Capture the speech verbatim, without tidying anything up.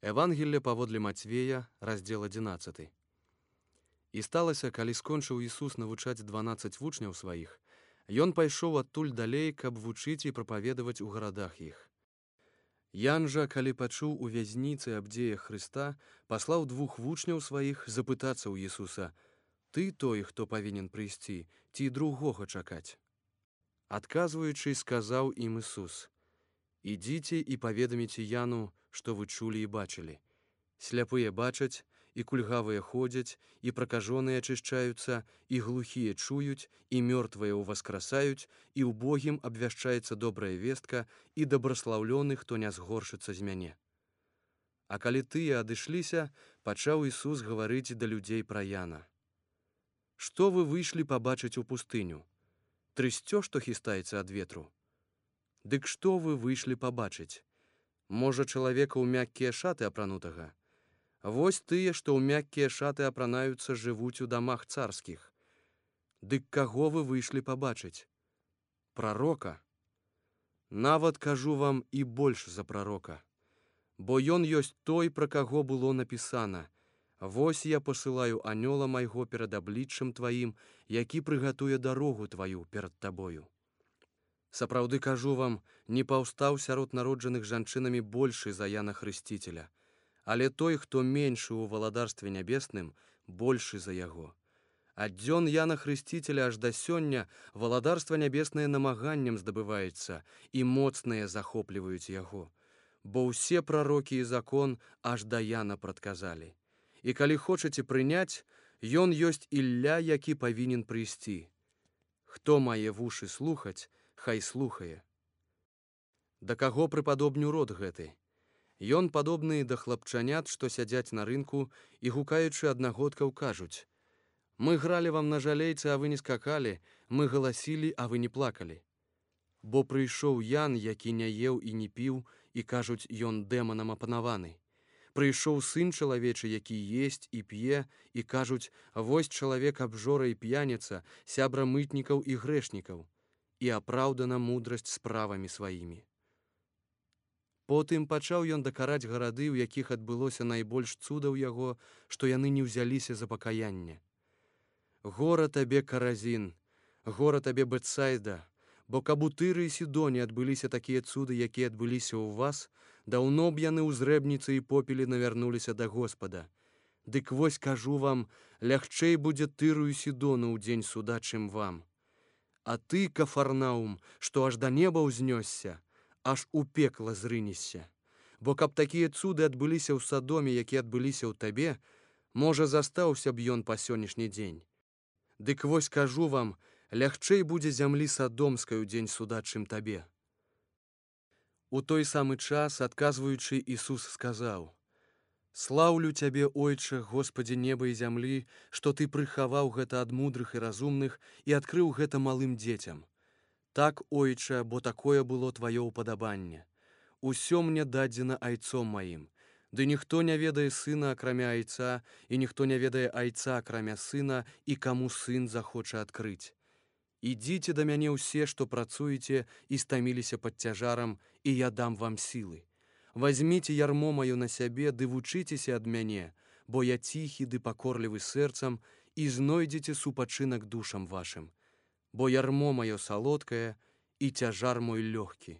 Евангелле паводле Мацвея, раздзел адзінаццаты. І сталася, калі скончыў Ісус навучаць дванаццаць вучняў сваіх, ён пайшоў адтуль далей, каб вучыць і прапаведаваць у гарадах іх. Ян жа, калі пачуў у вязніцы аб дзеях Хрыста, паслаў двух вучняў сваіх запытацца ў Ісуса: «Ты той, хто павінен прыйсці, ці другога чакаць?» Адказваючы, сказаў ім Ісус: «Ідзіце і паведаміце Яну, што вы чулі і бачылі. Сляпыя бачаць, і кульгавыя ходзяць, і пракажоныя ачышчаюцца, і глухія чуюць, і мёртвыя ўваскрасаюць, і ўбогім абвяшчаецца добрая вестка, і дабраслаўлёны, хто не згоршыцца з мяне». А калі тыя адышліся, пачаў Ісус гаварыць да людзей пра Яна: «Што вы выйшлі пабачыць у пустыню? Трысцё, што хістаецца ад ветру? Дык што вы выйшлі пабачыць? Можа, чалавека ў мяккія шаты апранутага? Вось тыя, што ў мяккія шаты апранаюцца, жывуць у дамах царскіх. Дык каго вы выйшлі пабачыць? Прарока? Нават кажу вам, і больш за прарока. Бо ён ёсць той, пра каго было напісана: «Вось я пасылаю анёла майго перад абліччам тваім, які прыгатуе дарогу тваю перад табою». Сапраўды кажу вам, не паўстаў сярод народжаных жанчынамі большы за Яна Хрысціцеля, але той, хто меншы ў валадарстве нябесным, большы за яго. Ад дзён Яна Хрысціцеля аж да сёння валадарства нябеснае намаганнем здабываецца, і моцныя захопліваюць яго. Бо ўсе прарокі і закон аж да Яна прадказалі. І калі хочаце прыняць, ён ёсць Ілля, які павінен прыйсці. Хто мае вушы слухаць, хай слухае. Да каго прыпадобню род гэты? Ён падобны да хлапчанят, што сядзяць на рынку і, гукаючы аднагодкаў, кажуць: «Мы гралі вам на жалейцы, а вы не скакалі, мы галасілі, а вы не плакалі». Бо прыйшоў Ян, які не еў і не піў, і кажуць, ён дэманам апанаваны. Прыйшоў сын чалавечы, які есць і п'е, і кажуць, вось чалавек абжора і п'яніца, сябра мытнікаў і грэшнікаў, і апраўдана мудрасць справамі сваімі. Потым пачаў ён дакараць гарады, у якіх адбылося найбольш цудаў яго, што яны не ўзяліся за пакаянне. Гора табе, Каразін, гора табе, Бетсайда, бо каб у Тыры і Сідоне адбыліся такія цуды, якія адбыліся ў вас, даўно б яны ў зрэбніцы і попелі навярнуліся да Господа. Дык вось кажу вам, лягчэй будзе Тыру і Сідону ў дзень суда, чым вам. А ты, Кафарнаум, што аж да неба ўзнёсся, аж у пекла зрынешся. Бо каб такія цуды адбыліся ў Садоме, які адбыліся ў табе, можа, застаўся б ён па сённяшні дзень. Дык вось кажу вам, лягчэй будзе зямлі Садомскай у дзень суда, чым табе». У той самы час, адказваючы, Ісус сказаў: «Слаўлю цябе, Ойча, Господі неба і зямлі, што ты прыхаваў гэта ад мудрых і разумных і адкрыў гэта малым дзецям. Так, Ойча, бо такое было тваё ўпадабанне. Усё мне дадзена айцом маім. Ды ніхто не ведае сына, акрамя айца, і ніхто не ведае айца, акрамя сына, і каму сын захоча адкрыць. Ідзіце да мяне ўсе, што працуеце і стаміліся пад цяжарам, і я дам вам сілы. Вазьміце ярмо маё на сябе, ды вучыцеся ад мяне, бо я ціхі ды пакорлівы сэрцам, і знойдзеце супачынак душам вашым. Бо ярмо маё салодкае, і цяжар мой лёгкі».